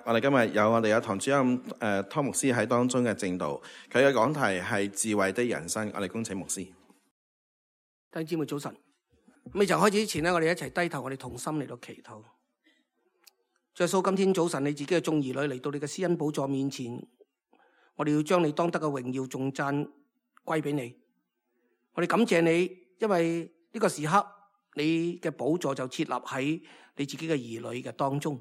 我哋今日有堂主任湯牧師喺當中嘅證道，佢嘅講題係智慧的人生。我哋恭請牧師。弟兄姊妹早晨。未曾開始之前呢，我哋一齊低頭，我哋同心嚟到祈禱。主耶穌，今天早晨你自己嘅眾兒女嚟到你嘅施恩寶座面前，我哋要將你當得嘅榮耀頌讚歸俾你。我哋感謝你，因為呢個時刻你嘅寶座就設立喺你自己嘅兒女嘅當中。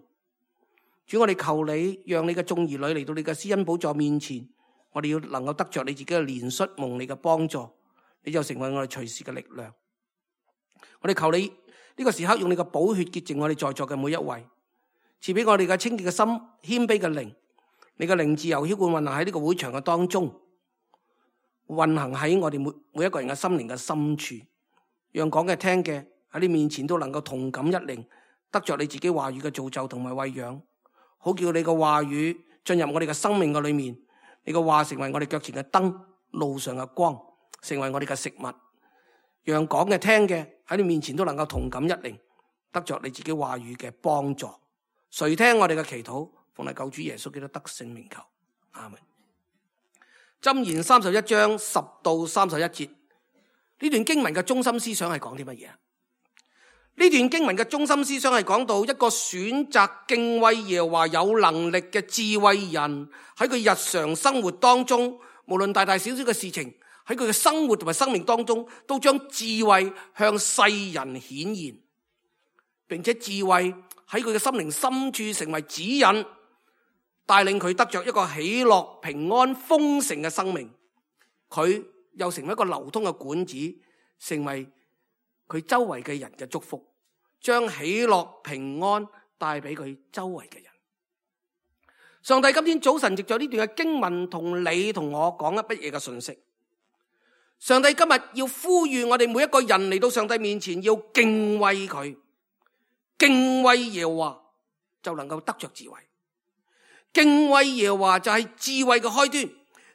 主，我哋求你讓你嘅眾兒女嚟到你嘅施恩寶座面前，我哋要能夠得着你自己嘅憐恤，蒙你嘅幫助，你就成為我哋隨時嘅力量。我哋求你呢個時刻用你嘅寶血潔淨我哋在座嘅每一位，賜俾我哋嘅清潔嘅心、謙卑嘅靈，你嘅靈自由澆灌運行喺呢個會場嘅當中，運行喺我哋每一個人嘅心靈嘅深處，讓講嘅聽嘅喺你面前都能夠同感一靈，得着你自己話語嘅造就同埋餵養，好叫你嘅話語進入我哋嘅生命嘅裏面，你嘅話成為我哋腳前嘅燈，路上嘅光，成為我哋嘅食物，讓講嘅聽嘅喺你面前都能夠同感一靈，得着你自己話語嘅幫助。垂聽我哋嘅祈禱，奉你救主耶穌基督得勝名求，阿門。箴言31章10到31節，呢段經文嘅中心思想係講啲乜嘢？呢段經文嘅中心思想係講到一個選擇敬畏耶和華有能力嘅智慧人，喺佢日常生活當中，無論大大小小嘅事情，喺佢嘅生活同埋生命當中，都將智慧向世人顯現，並且智慧喺佢嘅心靈深處成為指引，帶領佢得着一個喜樂、平安、豐盛嘅生命。佢又成為一個流通嘅管子，成為佢周圍嘅人嘅祝福，將喜樂平安帶俾佢周圍嘅人。上帝今天早晨藉着呢段嘅經文同你同我講一乜嘢嘅信息？上帝今日要呼籲我哋每一個人嚟到上帝面前，要敬畏佢，敬畏耶和華就能夠得着智慧。敬畏耶和華就係智慧嘅開端，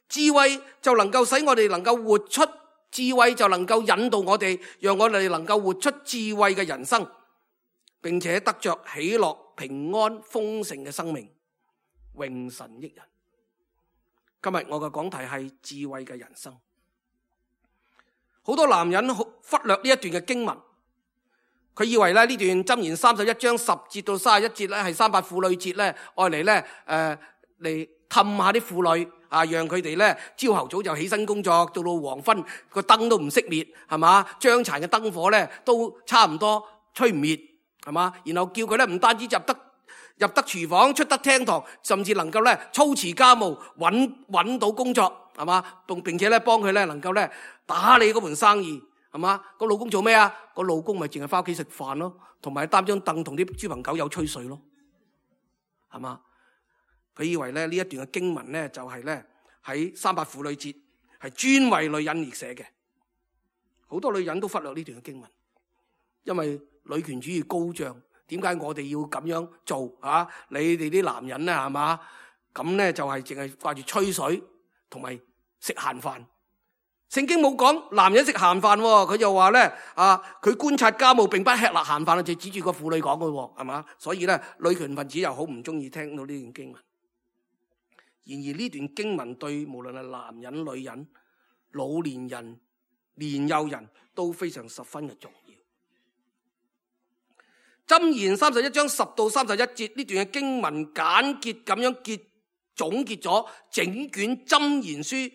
智慧就能夠使我哋能夠活出，智慧就能夠引導我哋，讓我哋能夠活出智慧嘅人生，並且得着喜樂、平安、豐盛嘅生命，榮神益人。今日我嘅講題係智慧嘅人生。好多男人忽略呢一段嘅經文，佢以為咧呢段箴言31章10節到31節咧係300婦女節咧，愛嚟咧嚟氹下啲婦女啊，讓佢哋咧朝頭早就起身工作，到黃昏個燈都唔熄滅，係嘛？將殘嘅燈火咧都差唔多吹唔滅，係嘛？然後叫佢咧唔單止入得廚房，出得廳堂，甚至能夠咧操持家務，揾到工作，係嘛？並且咧幫佢咧能夠咧打理嗰盤生意，係嘛？個老公做咩啊？個老公咪淨係翻屋企食飯咯，同埋擔張凳同啲豬朋狗友吹水咯，係嘛？佢以為咧呢一段嘅經文咧就係咧喺300婦女節係專為女人而寫嘅。好多女人都忽略呢段嘅經文，因為女權主義高漲，點解我哋要咁樣做啊？你哋啲男人咧係嘛？咁咧就係淨係掛住吹水同埋食閒飯。聖經冇講男人食閒飯，佢就話咧佢觀察家務並不吃力閒飯，就指住個婦女講嘅，係嘛？所以咧女權分子又好唔中意聽到呢段經文。然而呢段經文對無論係男人、女人、老年人、年幼人都非常十分嘅重要。箴言31章10到31節呢段嘅經文簡潔咁樣總結咗整卷箴言書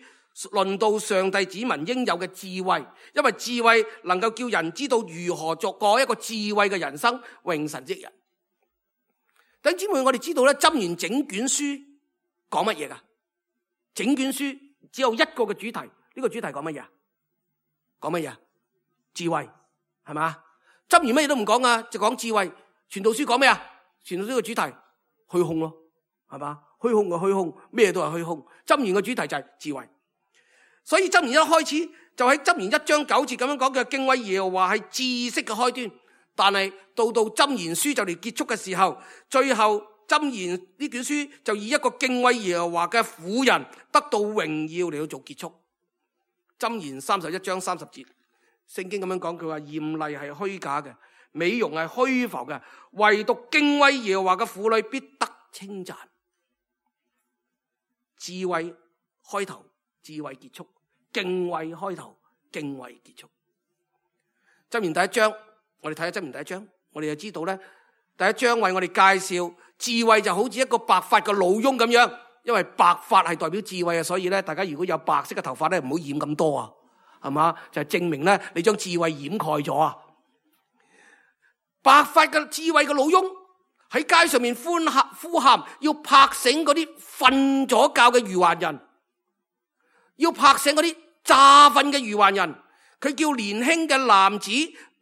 論到上帝子民應有嘅智慧，因為智慧能夠叫人知道如何過一個智慧嘅人生，榮神益人。弟兄姊妹，我哋知道咧箴言整卷書講乜嘢噶？整卷書只有一個嘅主題，呢個主題講乜嘢？講乜嘢？智慧，係嘛？箴言乜嘢都唔講啊，就講智慧。傳道書講咩啊？傳道書嘅主題虛空咯，係嘛？虛空嘅虛空，咩都係虛空。箴言嘅主題就係智慧。所以箴言一開始就喺箴言1章9節咁樣講嘅，敬畏耶和華係知識嘅開端。但係到箴言書就嚟結束嘅時候，最後箴言呢卷書就以一個敬畏耶和華嘅婦人得到榮耀嚟到做結束。箴言31章30節，聖經咁樣講，佢話艷麗係虛假嘅，美容係虛浮嘅，唯獨敬畏耶和華嘅婦女必得稱讚。智慧開頭，智慧結束；敬畏開頭，敬畏結束。箴言第一章，我哋睇下箴言第一章，我哋就知道咧，第一章為我哋介紹智慧就好似一個白髮嘅老翁咁樣，因為白髮係代表智慧啊，所以咧，大家如果有白色嘅頭髮咧，唔好染咁多啊，係嘛？就係證明咧，你將智慧掩蓋咗啊！白髮嘅智慧嘅老翁喺街上面呼喊，要拍醒嗰啲瞓咗覺嘅愚頑人，要拍醒嗰啲詐瞓嘅愚頑人。佢叫年輕嘅男子，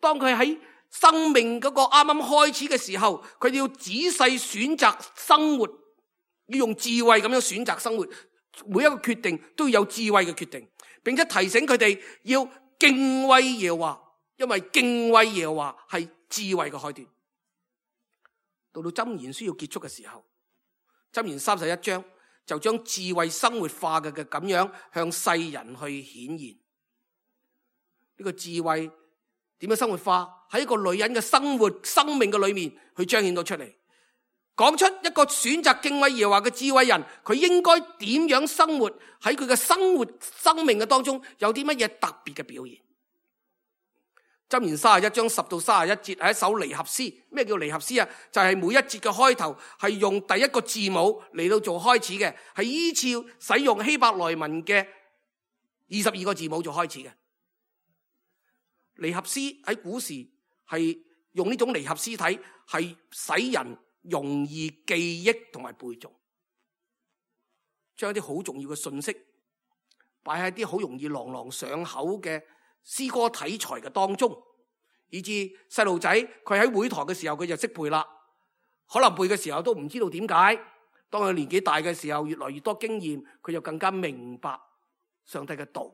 當佢喺生命嗰個啱啱開始嘅時候，佢要仔細選擇生活，要用智慧咁樣選擇生活，每一個決定都要有智慧嘅決定，並且提醒佢哋要敬畏耶和華，因為敬畏耶和華係智慧嘅開端。到箴言需要結束嘅時候，箴言31章就將智慧生活化嘅咁樣向世人去顯現。呢個智慧點樣生活化？喺一個女人嘅生活生命嘅裏面去彰顯到出嚟，講出一個選擇敬畏耶和華嘅智慧人，佢應該點樣生活？喺佢嘅生活生命嘅當中有啲乜嘢特別嘅表現？箴言31章10到31節係一首離合詩。咩叫離合詩啊？就係每一節嘅開頭係用第一個字母嚟到做開始嘅，係依照使用希伯來文嘅22個字母做開始嘅。離合詩喺古時係用呢種離合詩體，係使人容易記憶同埋背誦，將一啲好重要嘅信息擺喺啲好容易朗朗上口嘅詩歌體裁嘅當中，以至細路仔佢喺會堂嘅時候佢就識背啦，可能背嘅時候都唔知道點解，當佢年紀大嘅時候越來越多經驗，佢就更加明白上帝嘅道。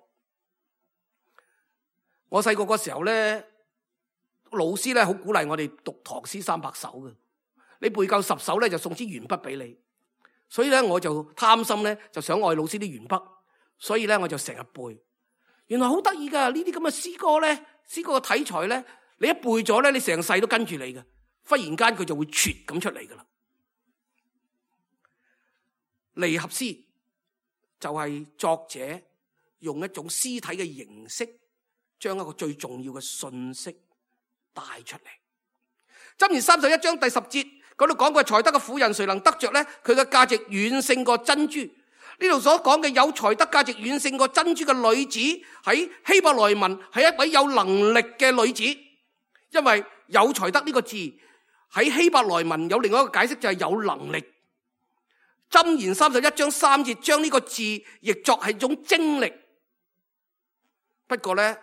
我細個嗰時候咧，老師咧好鼓勵我哋讀唐詩300首嘅，你背夠10首咧就送支鉛筆俾你。所以咧我就貪心咧，就想愛老師啲鉛筆，所以咧我就成日背。原來好得意噶，呢啲咁嘅詩歌咧，詩歌嘅題材咧，你一背咗咧，你成世都跟住你嘅，忽然間佢就會啜咁出嚟噶啦。離合詩就係作者用一種詩體嘅形式，將一個最重要嘅信息帶出嚟。箴言31章第10節嗰度講過，才德嘅婦人誰能得着呢？佢嘅價值遠勝過珍珠。呢度所講嘅有才德價值遠勝過珍珠嘅女子，喺希伯來文係一位有能力嘅女子，因為有才德呢個字喺希伯來文有另外一個解釋，就係有能力。箴言31章3節將呢個字譯作係一種精力。不過咧，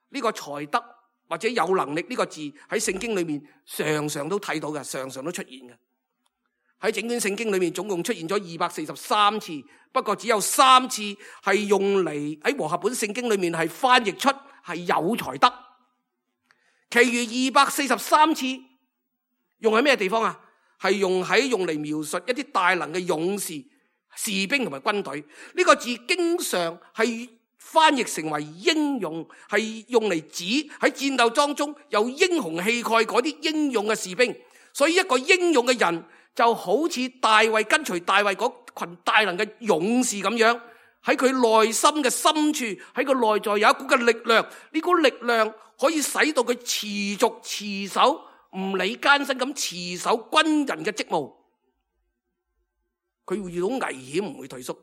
呢個才德或者有能力呢個字喺聖經裏面常常都睇到嘅，常常都出現嘅。喺整卷聖經裏面總共出現咗243次，不過只有3次係用嚟喺和合本聖經裏面係翻譯出係有才德，其餘243次用喺咩地方啊？係用嚟描述一啲大能嘅勇士、士兵同埋軍隊。呢個字經常係翻譯成為英勇，係用嚟指喺戰鬥當中有英雄氣概嗰啲英勇嘅士兵。所以一個英勇嘅人就好似大衛跟隨大衛嗰群大能嘅勇士咁樣，喺佢內心嘅深處，喺佢內在有一股嘅力量，呢股力量可以使到佢持續持守，唔理艱辛咁持守軍人嘅職務。佢會遇到危險唔會退縮，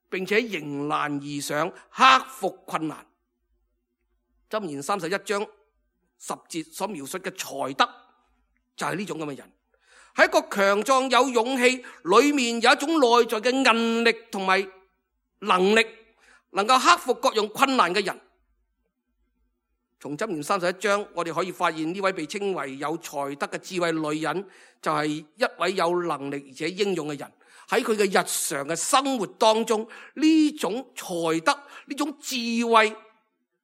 並且迎難而上，克服困難。箴言31章10節所描述嘅才德就係呢種咁嘅人，係一個強壯有勇氣，裏面有一種內在嘅韌力同埋能力，能夠克服各樣困難嘅人。從箴言31章我哋可以發現，呢位被稱為有才德嘅智慧女人就係一位有能力而且英勇嘅人。喺佢嘅日常嘅生活當中，呢種才德，呢種智慧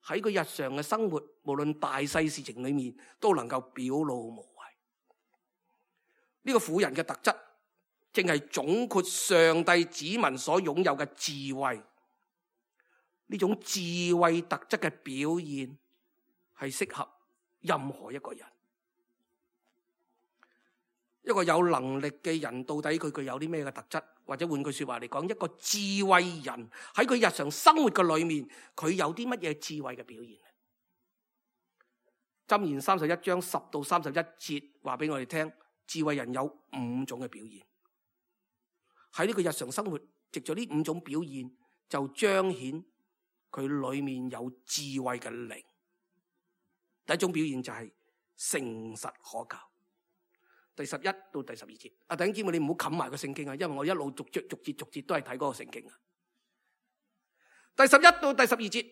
喺佢日常嘅生活，無論大細事情裏面都能夠表露無遺。呢個婦人嘅特質正係總括上帝子民所擁有嘅智慧。呢種智慧特質嘅表現係適合任何一個人。一個有能力嘅人到底佢具有啲咩嘅特質？或者換句說話嚟講，一個智慧人喺佢日常生活嘅裏面，佢有啲乜嘢智慧嘅表現？箴言31章10到31節話俾我哋聽，智慧人有5種嘅表現。喺呢個日常生活，藉住呢5種表現，就彰顯佢裏面有智慧嘅靈。第一種表現就係誠實可靠。第11到第12節，弟兄姊妹，你唔好冚埋個聖經啊，因為我一路逐節都係睇嗰個聖經啊。第11到第12節，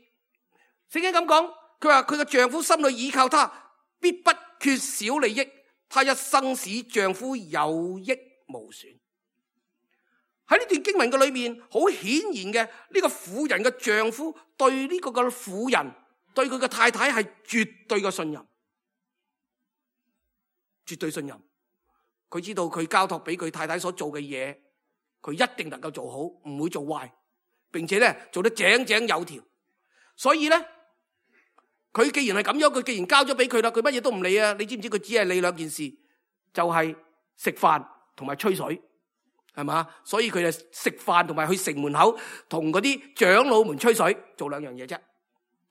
聖經咁講，佢話佢嘅丈夫心裏倚靠他，必不缺少利益，他一生使丈夫有益無損。喺呢段經文嘅裏面，好顯然嘅，呢個婦人嘅丈夫對呢個嘅婦人，對佢嘅太太係絕對嘅信任，絕對信任。佢知道佢交託俾佢太太所做嘅嘢，佢一定能夠做好，唔會做壞，並且咧做得井井有條。所以咧，佢既然係咁樣，佢既然交咗俾佢啦，佢乜嘢都唔理啊！你知唔知佢只係理2件事，就係食飯同埋吹水，係嘛？所以佢就食飯同埋去城門口同嗰啲長老們吹水，做2樣嘢啫。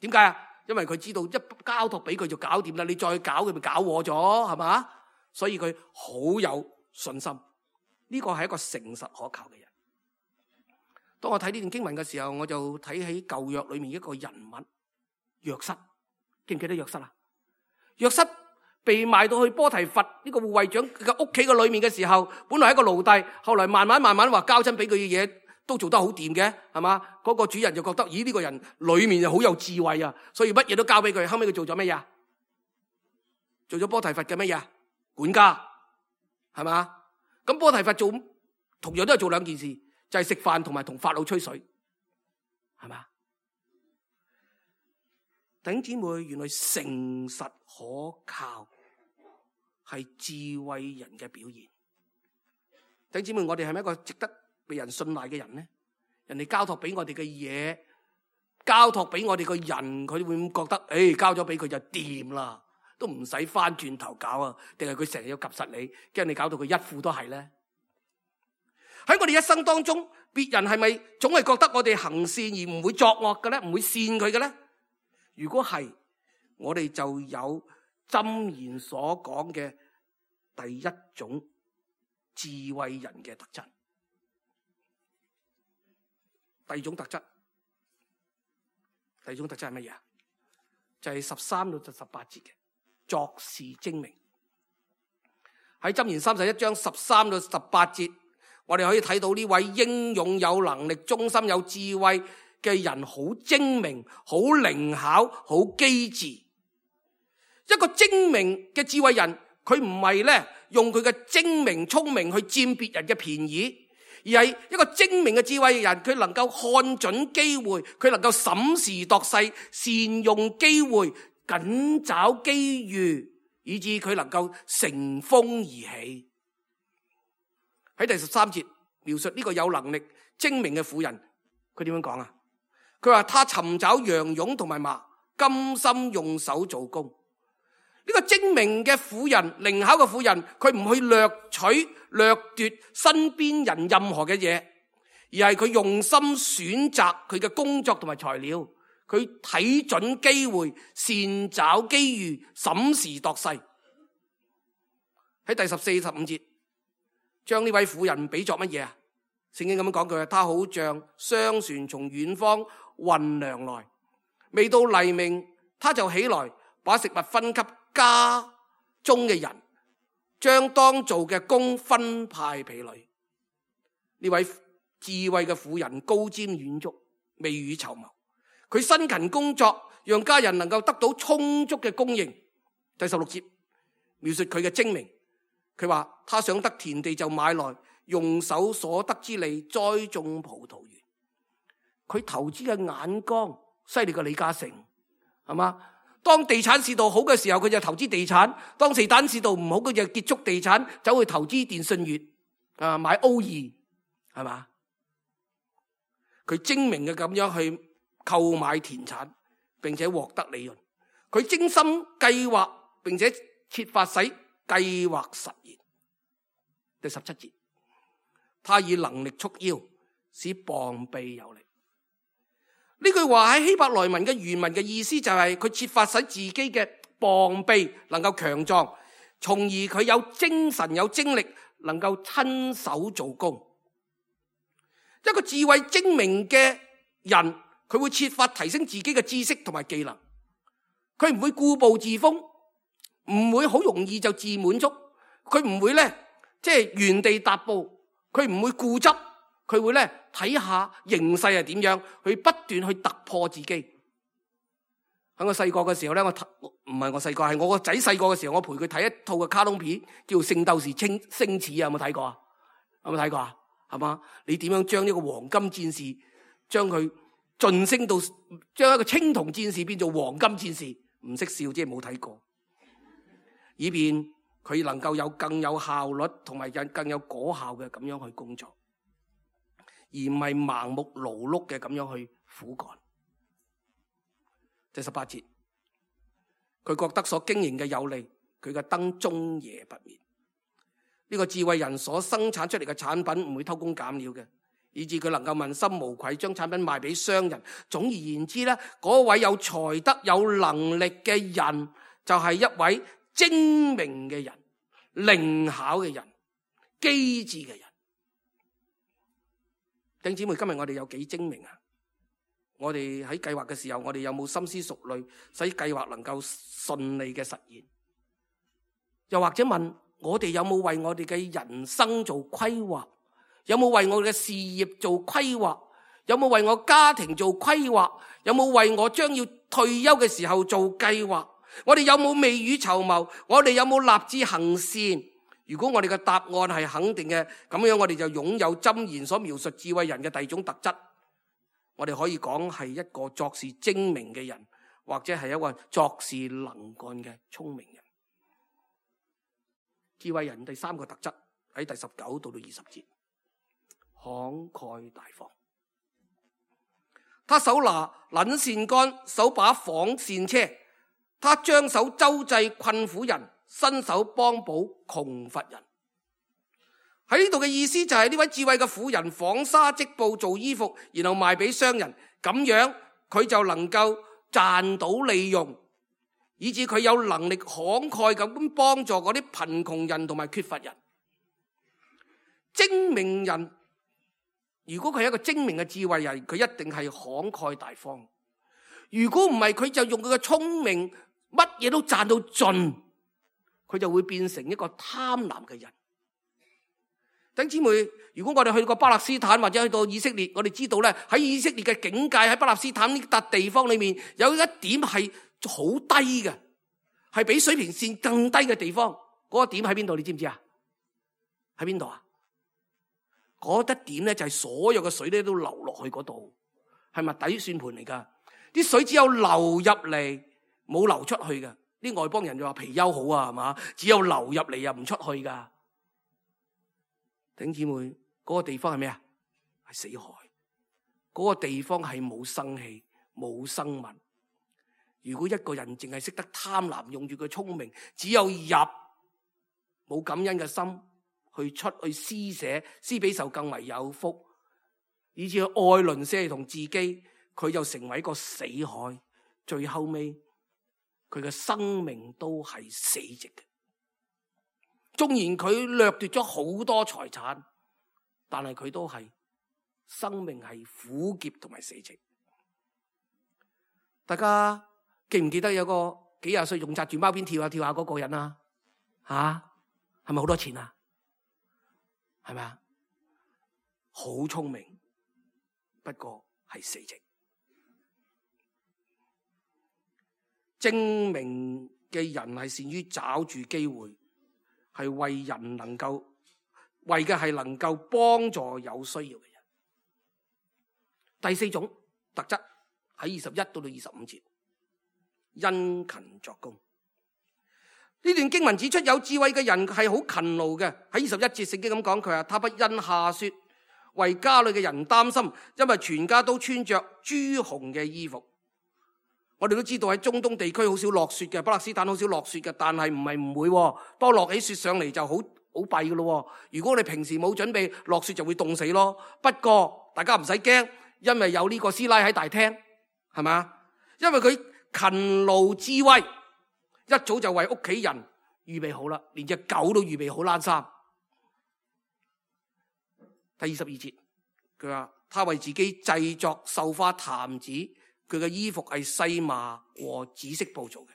點解啊？因為佢知道一交託俾佢就搞掂啦，你再搞佢咪搞禍咗，係嘛？所以佢好有信心，呢個係一個誠實可靠嘅人。當我睇呢段經文嘅時候，我就睇起舊約裏面一個人物約瑟，記唔記得約瑟啊？約瑟被賣到去波提乏呢個護衛長嘅屋企嘅裏面嘅時候，本來係一個奴隸，後來慢慢話交真俾佢嘅嘢都做得好掂嘅，係嘛？嗰個主人就覺得，咦，呢個人裏面就好有智慧啊，所以乜嘢都交俾佢。後尾佢做咗乜嘢？做咗波提乏嘅乜嘢？管家，係嘛？咁波提乏做同樣都係做2件事，就係食飯同埋同法老吹水，係嘛？弟兄姊妹，原來誠實可靠係智慧人嘅表現。弟兄姊妹，我哋係咪一個值得被人信賴嘅人呢？人哋交託俾我哋嘅嘢，交託俾我哋個人，佢會唔會覺得，交咗俾佢就掂啦？都唔使翻轉頭搞啊？定係佢成日要及實你，驚你搞到佢一副都係咧？喺我哋一生當中，別人係咪總係覺得我哋行善而唔會作惡嘅咧？唔會善佢嘅咧？如果係，我哋就有箴言所講嘅第一種智慧人嘅特質。第二種特質係乜嘢？就係13到18節嘅。作事精明。喺箴言31章13到18節，我哋可以睇到呢位英勇有能力、忠心有智慧嘅人，好精明、好靈巧、好機智。一個精明嘅智慧人，佢唔係咧用佢嘅精明聰明去佔別人嘅便宜，而係一個精明嘅智慧人，佢能夠看準機會，佢能夠審時度勢，善用機會，緊找機遇，以致佢能夠乘風而起。喺第13節描述呢個有能力精明嘅婦人，佢點樣講啊？佢話他尋找羊絨同埋麻，甘心用手做工。呢個精明嘅婦人，靈巧嘅婦人，佢唔去掠取掠奪身邊人任何嘅嘢，而係佢用心選擇佢嘅工作同埋材料。佢睇準機會，善找機遇，審時度勢。喺第14、15節，將呢位婦人比作乜嘢啊？聖經咁樣講佢話，他好像商船從遠方運糧來，未到黎明，他就起來，把食物分給家中嘅人，將當做嘅工分派婢女。呢位智慧嘅婦人高瞻遠矚，未雨綢繆。佢辛勤工作，讓家人能夠得到充足嘅供應。第16節描述佢嘅精明，佢話他想得田地就買來，用手所得之利栽種葡萄園。佢投資嘅眼光犀利過李嘉誠，係嘛？當地產市道好嘅時候，佢就投資地產；當地產市道唔好，佢就結束地產，走去投資電信業，買 O2，係嘛？佢精明嘅咁樣去購買田產，並且獲得利潤。佢精心計劃，並且設法使計劃實現。第17節，他以能力束腰，使膀臂有力。呢句話喺希伯來文嘅原文嘅意思就係佢設法使自己嘅膀臂能夠強壯，從而佢有精神有精力，能夠親手做工。一個智慧精明嘅人，佢會設法提升自己嘅知識同埋技能，佢唔會固步自封，唔會好容易就自滿足，佢唔會原地踏步，佢唔會固執，佢會睇下形勢係點樣，去不斷去突破自己。喺我細個嘅時候係我個仔細個嘅時候，我陪佢睇一套嘅卡通片，叫《聖鬥士星矢》啊，有冇睇過啊？有冇睇過啊？係嘛？你點樣將呢個黃金戰士，將佢晉升到將一個青銅戰士變做黃金戰士？唔識笑，即係冇睇過，以便佢能夠有更有效率同埋更有果效嘅咁樣去工作，而唔係盲目勞碌嘅咁樣去苦幹。第18節，佢覺得所經營嘅有利，佢嘅燈終夜不滅。呢個智慧人所生產出嚟嘅產品唔會偷工減料嘅，以致佢能夠問心無愧，將產品賣俾商人。總而言之咧，嗰位有才德有能力嘅人，就係一位精明嘅人、靈巧嘅人、機智嘅人。弟兄姊妹，今日我哋有幾精明啊？我哋喺計劃嘅時候，我哋有冇深思熟慮，使計劃能夠順利嘅實現？又或者問我哋有冇為我哋嘅人生做規劃？有冇為我嘅事業做規劃？有冇為我家庭做規劃？有冇為我將要退休嘅時候做計劃？我哋有冇未雨綢繆？我哋有冇立志行善？如果我哋嘅答案係肯定嘅，咁樣我哋就擁有箴言所描述智慧人嘅第二種特質。我哋可以講係一個作事精明嘅人，或者係一個作事能幹嘅聰明人。智慧人第三個特質喺第19到20節，慷慨大方。他手拿捻線杆，手把紡線車，他將手周濟困苦人，伸手幫補窮乏人。喺呢度嘅意思就係呢位智慧嘅婦人紡紗織布做衣服，然後賣俾商人，咁樣佢就能夠賺到利用，以致佢有能力慷慨咁幫助嗰啲貧窮人同埋缺乏人。精明人，如果佢係一個精明嘅智慧人，佢一定係慷慨大方。如果唔係，佢就用佢嘅聰明，乜嘢都賺到盡，佢就會變成一個貪婪嘅人。弟兄姊妹，如果我哋去過巴勒斯坦或者去到以色列，我哋知道咧，喺以色列嘅境界，喺巴勒斯坦呢笪地方裏面，有一點係好低嘅，係比水平線更低嘅地方。嗰個點喺邊度？你知唔知啊？喺邊度啊？嗰一點咧就係所有嘅水咧都流落去嗰度，係咪底算盤嚟噶？啲水只有流入嚟，冇流出去嘅。啲外邦人就話貔貅好啊，係嘛？只有流入嚟又唔出去噶。弟兄姊妹，嗰個地方係咩啊？係死海。嗰個地方係冇生氣、冇生物。如果一個人淨係識得貪婪，用住佢聰明，只有入，冇感恩嘅心去出去施捨，施比受更為有福，以至愛鄰舍同自己，佢就成為一個死海。最後尾，佢嘅生命都係死寂嘅。縱然佢掠奪咗好多財產，但係佢都係生命係苦澀同埋死寂。大家記唔記得有個幾廿歲仲紮住貓辮跳下跳下嗰個人啊？係咪好多錢啊？係咪啊？好聰明，不過係死寂。精明嘅人係善於找住機會，係為人能夠為嘅係能夠幫助有需要嘅人。第4種特質喺21到25節，殷勤作工。呢段經文指出有智慧嘅人係好勤勞嘅。喺21節聖經咁講，佢話他不因下雪為家裏嘅人擔心，因為全家都穿着朱紅嘅衣服。我哋都知道喺中東地區好少落雪嘅，巴勒斯坦好少落雪嘅，但係唔會，當落起雪上嚟就好好弊噶咯。如果你平時冇準備，落雪就會凍死咯。不過大家唔使驚，因為有呢個師奶喺大廳，係嘛？因為佢勤勞智慧，一早就為屋企人預備好啦，連隻狗都預備好冷衫。第22節，佢話他為自己製作繡花毯子，佢嘅衣服係細麻和紫色布做嘅。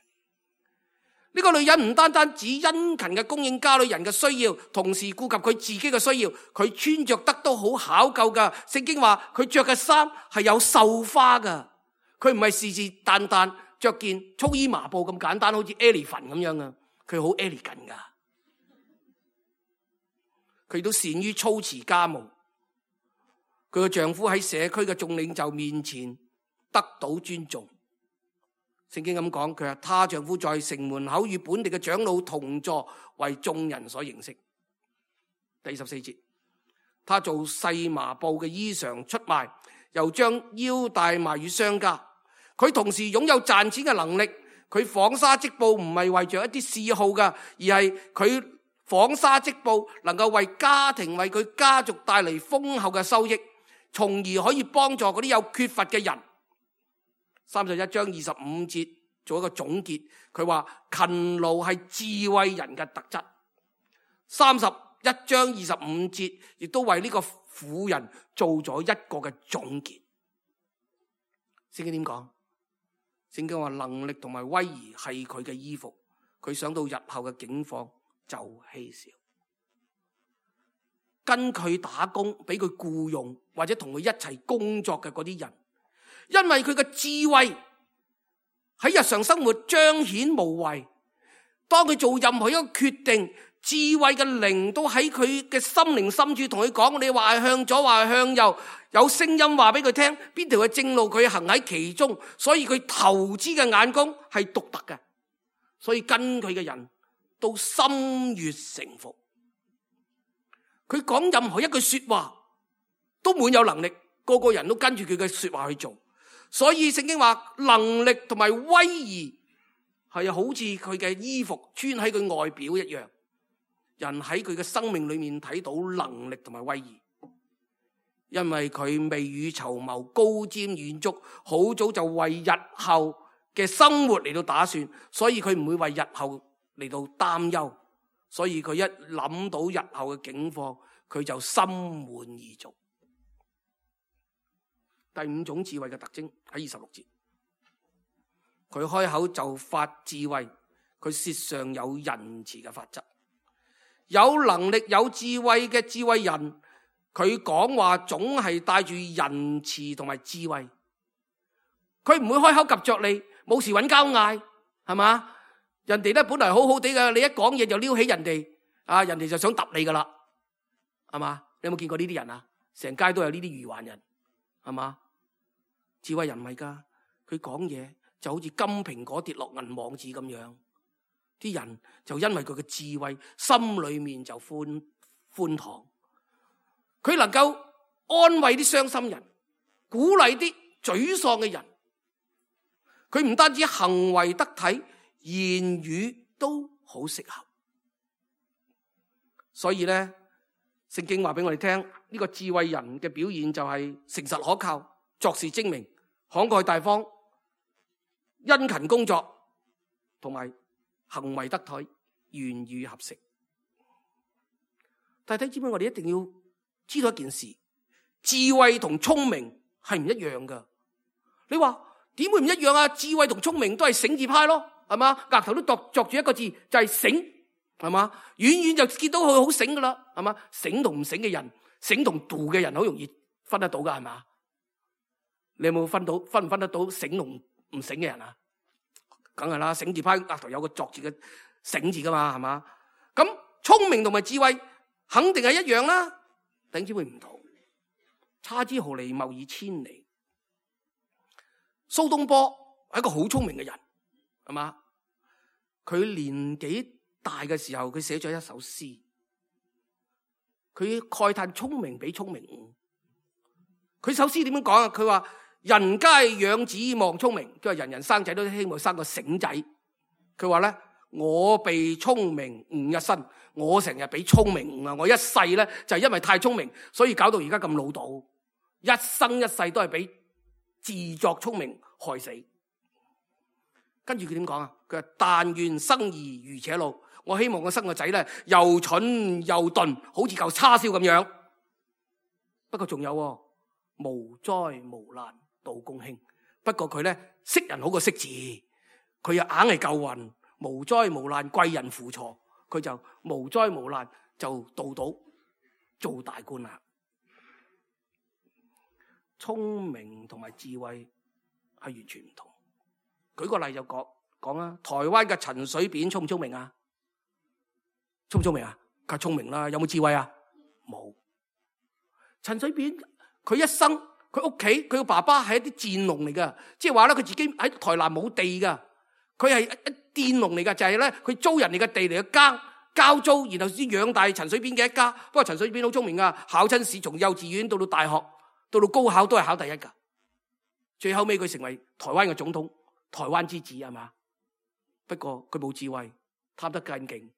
呢個女人唔單單只殷勤嘅供應家裏人嘅需要，同時顧及佢自己嘅需要，佢穿着得都好考究噶。聖經話佢着嘅衫係有繡花噶，佢唔係是是但但着件粗衣麻布咁簡單，好似 elephant 咁樣啊，佢好 elegant 噶。佢都善於操持家務，佢嘅丈夫喺社區嘅眾領袖面前得到尊重。聖經咁講，佢話她丈夫在城門口與本地嘅長老同坐，為眾人所認識。第14節，他做細麻布嘅衣裳出賣，又將腰帶賣與商家。佢同時擁有賺錢嘅能力。佢紡紗織布唔係為着一啲嗜好噶，而係佢紡紗織布能夠為家庭、為佢家族帶嚟豐厚嘅收益，從而可以幫助嗰啲有缺乏嘅人。31章25節做一個總結，佢話勤勞係智慧人嘅特質。31章25節亦都為呢個婦人做咗一個嘅總結。聖經點講？聖經話能力同埋威儀係佢嘅衣服，佢想到日後嘅境況就稀少。跟佢打工，俾佢僱用或者同佢一齊工作嘅嗰啲人，因為佢嘅智慧喺日常生活彰顯無遺。當佢做任何一個決定，智慧嘅靈都喺佢嘅心靈深處同佢講，你話係向左，話係向右，有聲音話俾佢聽邊條係正路，佢行喺其中。所以佢投資嘅眼光係獨特嘅，所以跟佢嘅人都心悅誠服。佢講任何一句說話都滿有能力，個個人都跟住佢嘅說話去做。所以聖經話能力同埋威儀係好似佢嘅衣服穿喺佢外表一樣，人喺佢嘅生命裏面睇到能力同埋威儀，因為佢未雨綢繆，高瞻遠矚，好早就為日後嘅生活嚟到打算，所以佢唔會為日後嚟到擔憂，所以佢一諗到日後嘅境況，佢就心滿意足。第5種智慧嘅特徵喺26節，佢開口就發智慧，佢舌上有仁慈嘅法則。有能力有智慧嘅智慧人，佢講話總係帶住仁慈同埋智慧。佢唔會開口及着你，冇事揾交嗌，係嘛？人哋咧本來好好地嘅，你一講嘢就撩起人哋，人哋就想揼你噶啦，係嘛？你有冇見過呢啲人啊？成街都有呢啲愚頑人，係嘛？智慧人唔係噶，佢講嘢就好似金蘋果跌落銀網子咁樣，啲人就因為佢嘅智慧，心裏面就寬敞。佢能夠安慰啲傷心人，鼓勵啲沮喪嘅人。佢唔單止行為得體，言語都好適合。所以咧，聖經話俾我哋聽，呢個智慧人嘅表現就係誠實可靠、作事精明、慷慨大方、殷勤工作，同埋行為得體、言語合適。但係知唔知我哋一定要知道一件事，智慧同聰明係唔一樣噶。你話點會唔一樣啊？智慧同聰明都係醒字派咯，係嘛？額頭都作住一個字，就係醒，係嘛？遠遠就見到佢好醒噶啦，係嘛？醒同唔醒嘅人，醒同度嘅人好容易分得到噶，係嘛？你有冇分唔分得到醒同唔醒嘅人啊？梗係啦，醒字派額頭有個作字嘅醒字噶嘛，係嘛？咁聰明同埋智慧肯定係一樣啦，點知會唔同？差之毫厘，謬以千里。蘇東坡係一個好聰明嘅人，係嘛？佢年紀大嘅時候，佢寫咗一首詩，佢慨嘆聰明比聰明誤。佢首詩點樣講啊？佢話人皆養子望聰明，佢話人人生仔都希望生個醒仔。佢話咧，我被聰明誤一生，我成日俾聰明誤啊！我一世咧就係因為太聰明，所以搞到而家咁老道，一生一世都係俾自作聰明害死。跟住佢點講啊？佢話但願生兒如且老，我希望我生個仔咧又蠢又鈍，好似嚿叉燒咁樣。不過仲有無災無難度公卿，不過佢咧識人好過識字，佢又硬係夠運，無災無難貴人輔助，佢就無災無難就到做大官啦。聰明同埋智慧係完全唔同。舉個例就講啦，台灣嘅陳水扁聰唔聰明啊？聰唔聰明啊？梗係聰明啦，有冇智慧啊？冇。陳水扁佢一生佢屋企佢個爸爸係一啲佃農嚟噶，即係話咧佢自己喺台南冇地噶，佢係一佃農嚟噶，就係咧佢租人哋嘅地嚟去交租，然後先養大陳水扁嘅一家。不過陳水扁好聰明噶，考親試從幼稚園到大學到高考都係考第一噶，最後尾佢成為台灣嘅總統，台灣之子係嘛？不過佢冇智慧，貪得更勁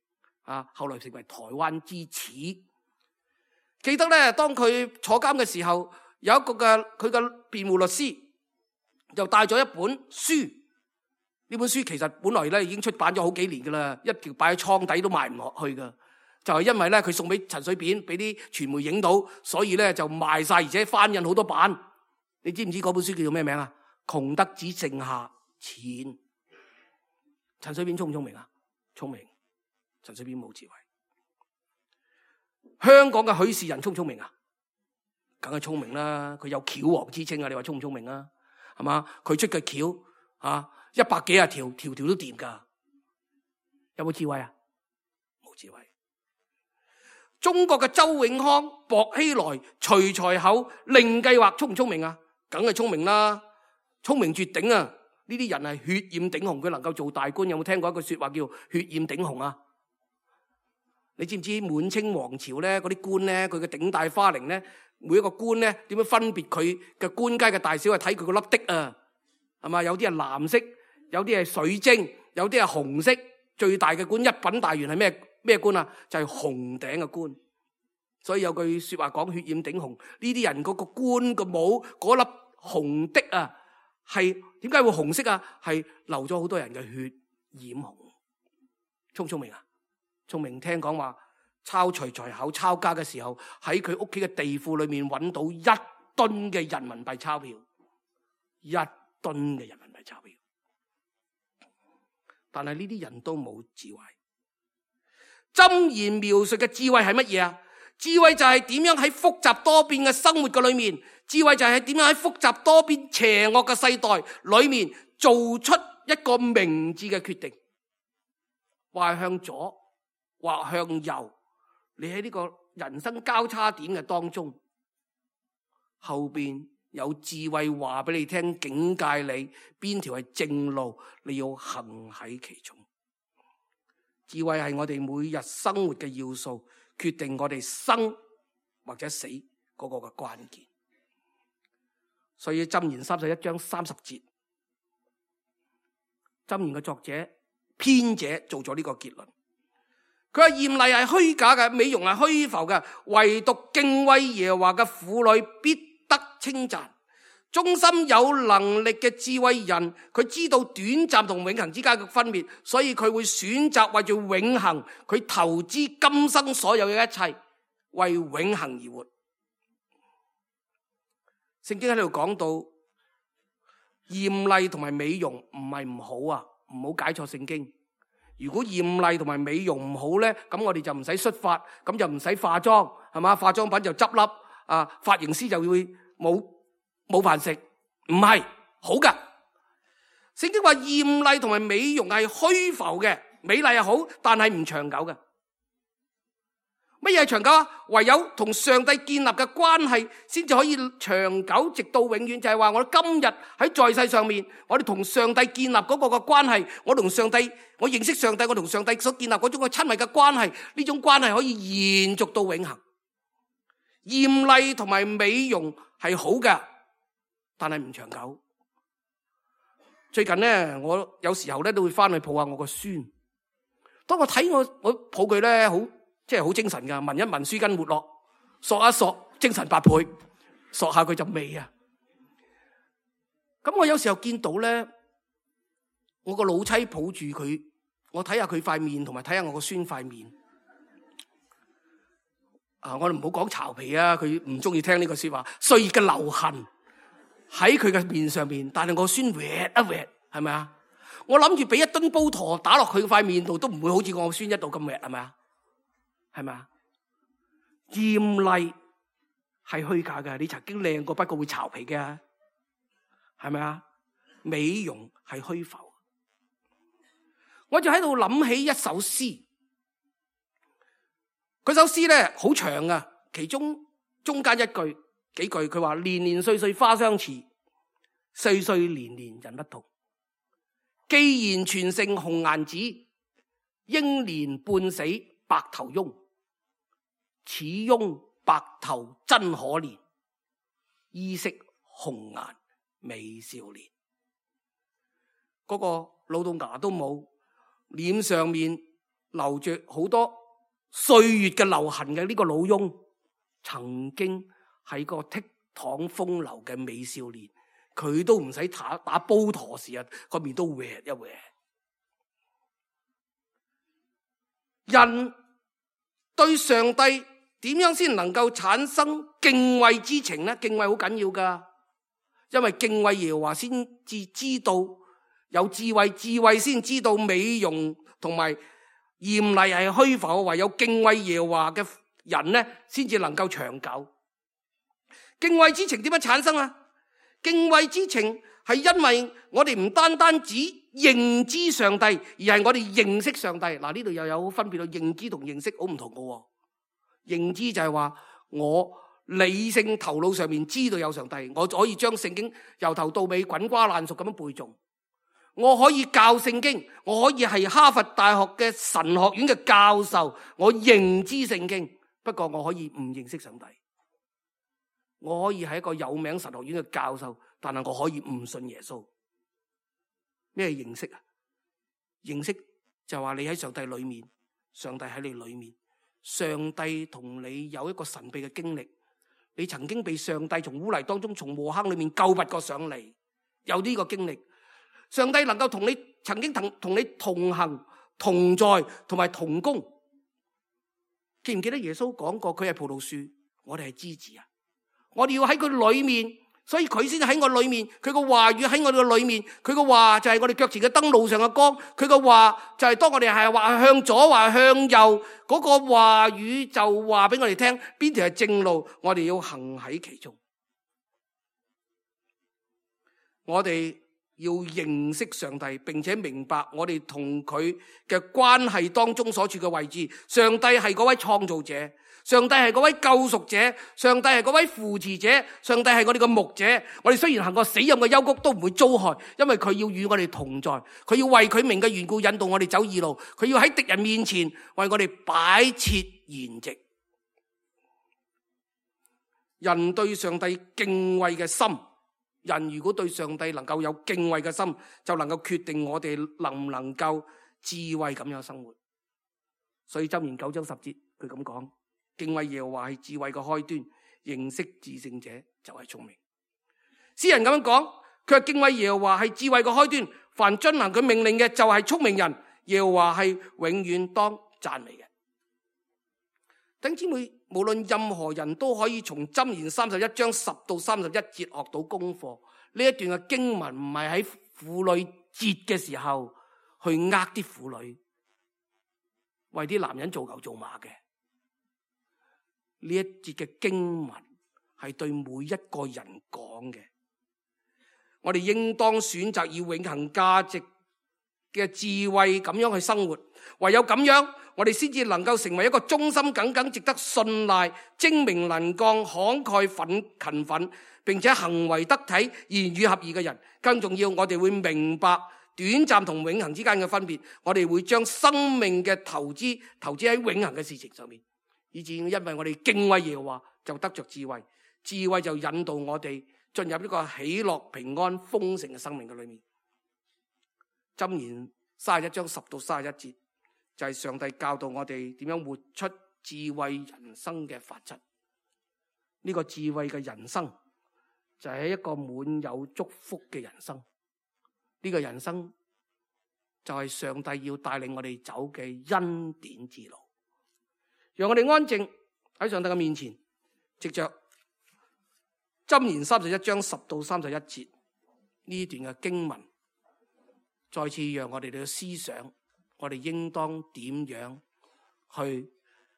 啊！後來成為台灣之恥。記得咧，當佢坐監嘅時候，有一個佢嘅辯護律師就帶咗一本書。呢本書其實本來咧已經出版咗好幾年噶啦，一條擺喺倉底都賣唔落去噶。就係因為咧佢送俾陳水扁，俾啲傳媒影到，所以咧就賣晒，而且翻印好多版。你知唔知嗰本書叫做咩名啊？窮得只剩下錢。陳水扁聰唔聰明啊？聰明。陳水扁冇智慧。香港嘅許仕仁聰唔聰明啊？梗係聰明啦，佢有橋王之稱啊！你話聰唔聰明啊？係嘛？佢出嘅橋啊，100幾廿條，條條都掂噶。有冇智慧啊？冇智慧。中國嘅周永康、薄熙來、徐才厚、令計劃聰唔聰明啊？梗係聰明啦，聰明絕頂啊！呢啲人係血染頂紅，佢能夠做大官。有冇聽過一句說話叫血染頂紅啊？你知唔知滿清王朝咧嗰啲官咧，佢嘅頂戴花翎咧，每一個官咧點樣分別佢嘅官階嘅大小，係睇佢個粒的啊，係嘛？有啲係藍色，有啲係水晶，有啲係紅色。最大嘅官一品大員係咩官啊？就係紅頂嘅官。所以有句說話講血染頂紅，呢啲人嗰個官個帽嗰粒紅的啊，係點解會紅色啊？係流咗好多人嘅血染紅。聰唔聰明啊？聰明。聽講話抄徐才厚抄家嘅時候，喺佢屋企嘅地庫裏面揾到1噸嘅人民幣鈔票，1噸嘅人民幣鈔票。但係呢啲人都冇智慧。箴言描述嘅智慧係乜嘢啊？智慧就係點樣喺複雜多變嘅生活嘅裏面，智慧就係點樣喺複雜多變邪惡嘅世代裏面做出一個明智嘅決定，或向左或向右。你喺呢個人生交叉點嘅當中，後邊有智慧話俾你聽，警戒你邊條係正路，你要行喺其中。智慧係我哋每日生活嘅要素，決定我哋生或者死嗰個嘅關鍵。所以箴言31章30節，箴言嘅作者編者做咗呢個結論。佢話艷麗係虛假嘅，美容係虛浮嘅，唯獨敬畏耶和華嘅婦女必得稱讚。忠心有能力嘅智慧人，佢知道短暫同永恆之間嘅分別，所以佢會選擇為住永恆，佢投資今生所有嘅一切，為永恆而活。聖經喺度講到艷麗同埋美容唔係唔好啊，唔好解錯聖經。如果艷麗同埋美容唔好咧，咁我哋就唔使xuất發，咁就唔使化妝，係嘛？化妝品就執笠，髮型師就會冇飯食。唔係好噶。聖經話艷麗同埋美容係虛浮嘅，美麗係好，但係唔長久嘅。乜嘢係長久啊？唯有同上帝建立嘅關係先至可以長久，直到永遠。就係話我哋今日喺在世上面，我哋同上帝建立嗰個嘅關係，我同上帝，我認識上帝，我同上帝所建立嗰種嘅親密嘅關係，呢種關係可以延續到永恆。艷麗同埋美容係好嘅，但係唔長久。最近咧，我有時候咧都會翻去抱下我個孫，當我睇我抱佢咧，即係好精神噶，聞一聞舒筋活絡，索一索精神百倍，索下佢就味啊！咁我有時候見到咧，我個老妻抱住佢，我睇下佢塊面，同埋睇下我個孫塊面。我哋唔好講巢皮啊，佢唔中意聽呢個說話。歲月嘅留痕喺佢嘅面上面，但係我孫搣一搣，係咪啊？我諗住俾一噸煲陀打落佢塊面度，都唔會好似我孫一度咁搣，係咪啊？係咪啊？艷麗係虛假嘅，你曾經靚過，不過會巢皮嘅，係咪啊？美容係虛浮。我就喺度諗起一首詩，嗰首詩咧好長啊，其中間幾句佢話：年年歲歲花相似，歲歲年年人不同。既然全城紅顏子，英年半死白頭翁。此翁白頭真可憐，衣飾紅顏美少年。嗰個老到牙都冇，臉上面流着好多歲月嘅留痕嘅呢個老翁，曾經係個倜儻風流嘅美少年，佢都唔使打煲陀時啊，個面都搲一搲。人對上帝點樣先能夠產生敬畏之情呢？敬畏好緊要噶，因為敬畏耶和華先至知道有智慧，智慧先知道美容同埋艷麗係虛浮。唯有敬畏耶和華嘅人呢，先至能夠長久。敬畏之情點樣產生啊？敬畏之情係因為我哋唔單單只認知上帝，而係我哋認識上帝。嗱，呢度又有分別到認知同認識好唔同噶。認知就係話我理性頭腦上面知道有上帝，我可以將聖經由頭到尾滾瓜爛熟咁樣背誦，我可以教聖經，我可以係哈佛大學嘅神學院嘅教授，我認知聖經，不過我可以唔認識上帝。我可以係一個有名神學院嘅教授，但係我可以唔信耶穌。咩認識啊？認識就話你喺上帝裏面，上帝喺你裏面，上帝同你有一個神秘嘅經歷，你曾經被上帝從污泥當中，從禍坑裏面救拔過上嚟，有呢個經歷。上帝能夠同你曾經同你同行、同在同埋同工。記唔記得耶穌講過佢係葡萄樹，我哋係枝子啊？我哋要喺佢裏面，所以佢先喺我裏面，佢個話語喺我哋嘅裏面，佢個話就係我哋腳前嘅燈，路上嘅光。佢個話就係當我哋係話向左話向右，嗰個話語就話俾我哋聽邊條係正路，我哋要行喺其中。我哋要認識上帝，並且明白我哋同佢嘅關係當中所處嘅位置。上帝係嗰位創造者，上帝係嗰位救贖者，上帝係嗰位扶持者，上帝係我哋嘅牧者。我哋雖然行過死蔭嘅幽谷，都唔會遭害，因為佢要與我哋同在，佢要為佢名嘅緣故引導我哋走義路，佢要喺敵人面前為我哋擺設筵席。人對上帝敬畏嘅心，人如果對上帝能夠有敬畏嘅心，就能夠決定我哋能唔能夠智慧咁樣生活。所以箴言9章10節佢咁講：敬畏耶和華係智慧嘅開端，認識至聖者就係聰明。詩人咁樣講，佢話敬畏耶和華係智慧嘅開端，凡遵行佢命令嘅就係聰明人。耶和華係永遠當讚美嘅。弟兄姊妹，無論任何人都可以從箴言31章10到31節學到功課。呢一段嘅經文唔係喺婦女節嘅時候去呃啲婦女，為啲男人做牛做馬嘅。呢一節嘅經文係對每一個人講嘅。我哋應當選擇以永恆價值嘅智慧咁樣去生活，唯有咁樣，我哋先至能夠成為一個忠心耿耿、值得信賴、精明能幹、慷慨勤奮，並且行為得體、言語合意嘅人。更重要，我哋會明白短暫同永恆之間嘅分別。我哋會將生命嘅投資喺永恆嘅事情上面，以至因為我哋敬畏耶和華，就得着智慧。智慧就引導我哋進入呢個喜樂、平安、豐盛嘅生命嘅裏面。箴言31章10到31節，就係上帝教導我哋點樣活出智慧人生嘅法則。呢個智慧嘅人生就係一個滿有祝福嘅人生。呢個人生就係上帝要帶領我哋走嘅恩典之路。讓我哋安靜喺上帝嘅面前，藉着箴言31章10到31節呢段嘅經文，再次讓我哋嘅思想，我哋應當點樣去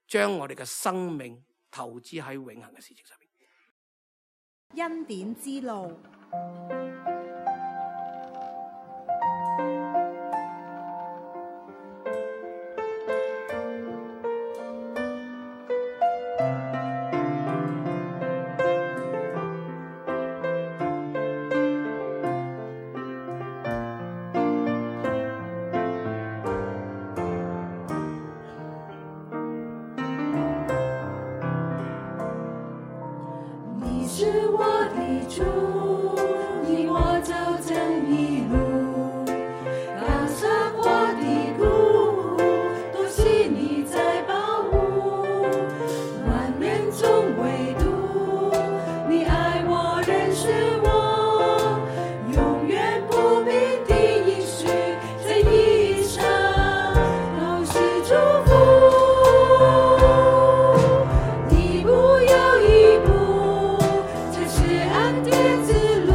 將我哋嘅生命投資喺永恆嘅事情上面。恩典之路。是我的主，你我走正义路，高山或低谷，都是你在保護，萬人中唯獨你愛我認識我，永遠不變的應許，這一生都是祝福。一步又一步，這是恩典之路。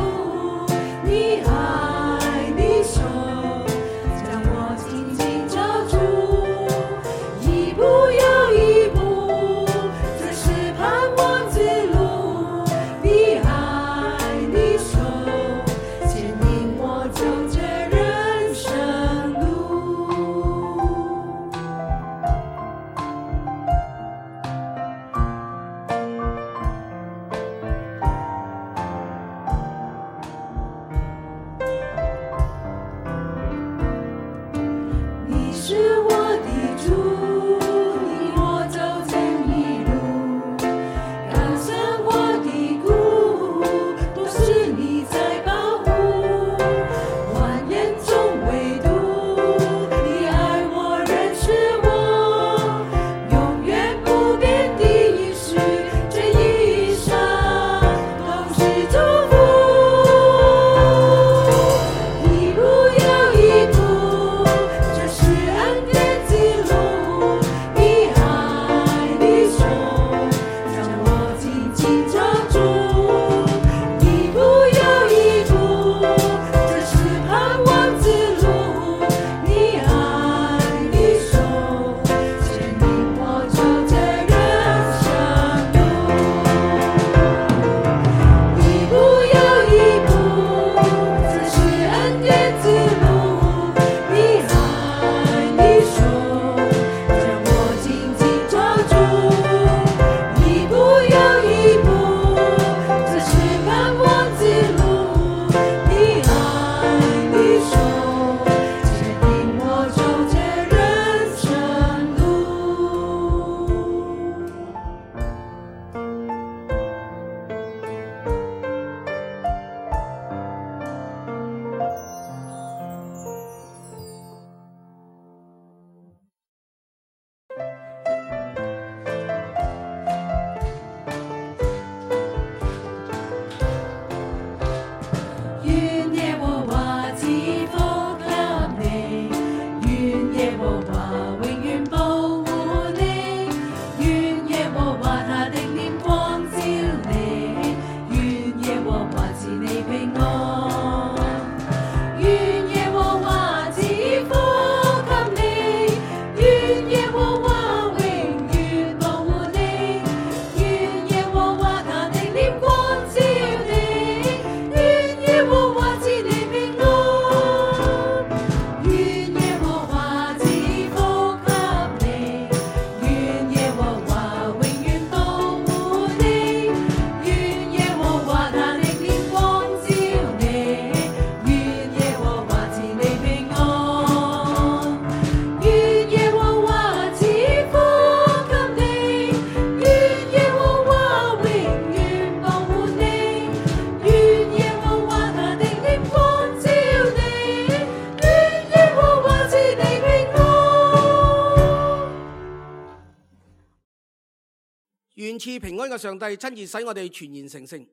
願賜平安嘅上帝親自使我哋全然成聖，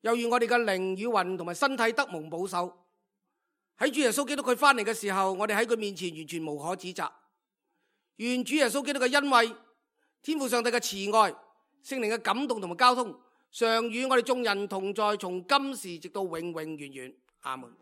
又願我哋嘅靈與魂同埋身體得蒙保守。喺主耶穌基督佢翻嚟嘅時候，我哋喺佢面前完全無可指責。願主耶穌基督嘅恩惠、天父上帝嘅慈愛、聖靈嘅感動同埋交通，常與我哋眾人同在，從今時直到永永遠遠。阿門。